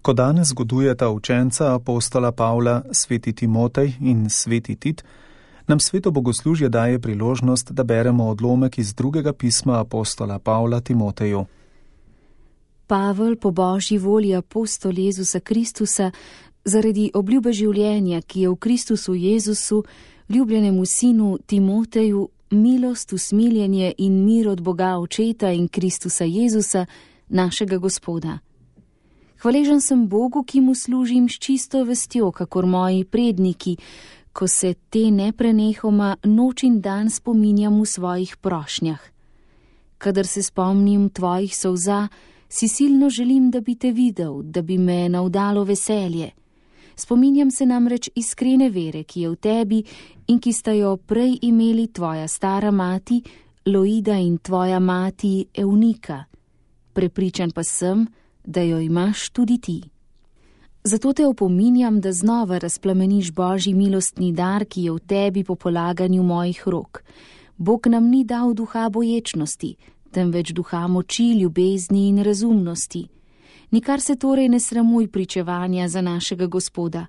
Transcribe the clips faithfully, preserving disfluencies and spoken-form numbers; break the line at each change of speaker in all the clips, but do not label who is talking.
Ko danes zgodujeta učenca apostola Pavla, sveti Timotej in sveti Tit, nam sveto bogoslužje daje priložnost, da beremo odlomek iz drugega pisma apostola Pavla Timoteju.
Pavel, po Božji volji apostol Jezusa Kristusa, zaradi obljube življenja, ki je v Kristusu Jezusu, ljubljenemu sinu Timoteju, milost, usmiljenje in mir od Boga Očeta in Kristusa Jezusa, našega Gospoda. Hvaležen sem Bogu, ki mu služim s čisto vestjo, kakor moji predniki, ko se te neprenehoma noč in dan spominjam v svojih prošnjah. Kadar se spomnim tvojih solza, si silno želim, da bi te videl, da bi me navdalo veselje. Spominjam se namreč iskrene vere, ki je v tebi in ki sta jo prej imeli tvoja stara mati, Loida, in tvoja mati Eunika. Prepričan pa sem, da jo imaš tudi ti. Zato te opominjam, da znova razplameniš Božji milostni dar, ki je v tebi po polaganju mojih rok. Bog nam ni dal duha boječnosti, temveč duha moči, ljubezni in razumnosti. Nikar se torej ne sramuj pričevanja za našega Gospoda,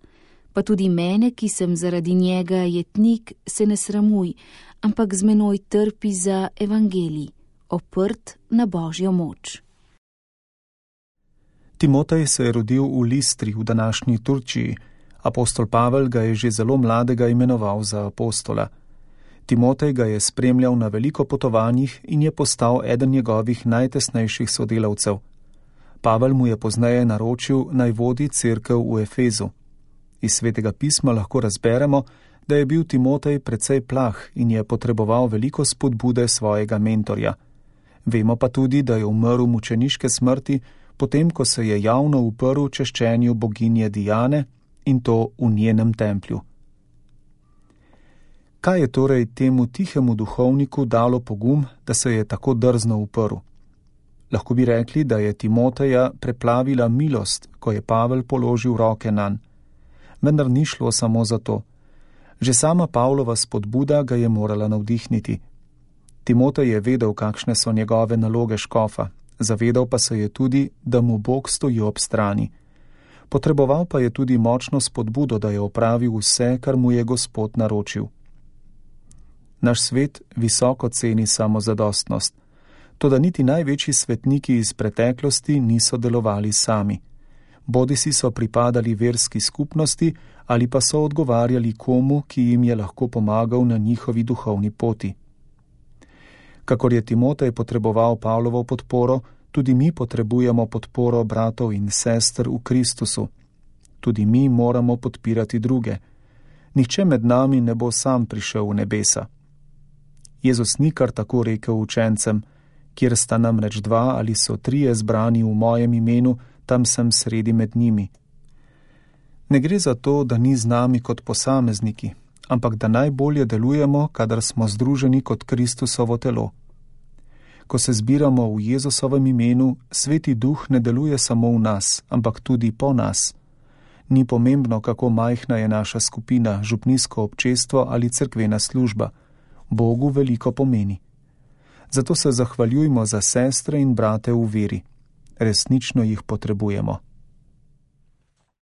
pa tudi mene, ki sem zaradi njega jetnik, se ne sramuj, ampak z menoj trpi za evangelij, oprt na Božjo moč.
Timotej se je rodil v Listri v današnji Turčiji. Apostol Pavel ga je že zelo mladega imenoval za apostola. Timotej ga je spremljal na veliko potovanjih in je postal eden njegovih najtesnejših sodelavcev. Pavel mu je pozneje naročil, naj vodi cerkev v Efezu. Iz svetega pisma lahko razberemo, da je bil Timotej precej plah in je potreboval veliko spodbude svojega mentorja. Vemo pa tudi, da je umrl mučeniške smrti, potem ko se je javno uprl češčenju boginje Diane, in to v njenem templju. Kaj je torej temu tihemu duhovniku dalo pogum, da se je tako drzno uprl? Lahko bi rekli, da je Timoteja preplavila milost, ko je Pavel položil roke nanj. Vendar ni šlo samo za to. Že sama Pavlova spodbuda ga je morala navdihniti. Timotej je vedel, kakšne so njegove naloge škofa, zavedal pa se je tudi, da mu Bog stoji ob strani. Potreboval pa je tudi močno spodbudo, da je opravil vse, kar mu je Gospod naročil. Naš svet visoko ceni samozadostnost, toda niti največji svetniki iz preteklosti niso delovali sami. Bodisi so pripadali verski skupnosti ali pa so odgovarjali komu, ki jim je lahko pomagal na njihovi duhovni poti. Kakor je Timotej potreboval Pavlovo podporo, tudi mi potrebujemo podporo bratov in sester v Kristusu. Tudi mi moramo podpirati druge. Nihče med nami ne bo sam prišel v nebesa. Jezus ni kar tako rekel učencem, kjer sta namreč dva ali so trije zbrani v mojem imenu, tam sem sredi med njimi. Ne gre za to, da ni z nami kot posamezniki, ampak da najbolje delujemo, kadar smo združeni kot Kristusovo telo. Ko se zbiramo v Jezusovem imenu, Sveti Duh ne deluje samo v nas, ampak tudi po nas. Ni pomembno, kako majhna je naša skupina, župnijsko občestvo ali cerkvena služba. Bogu veliko pomeni. Zato se zahvaljujmo za sestre in brate v veri. Resnično jih potrebujemo.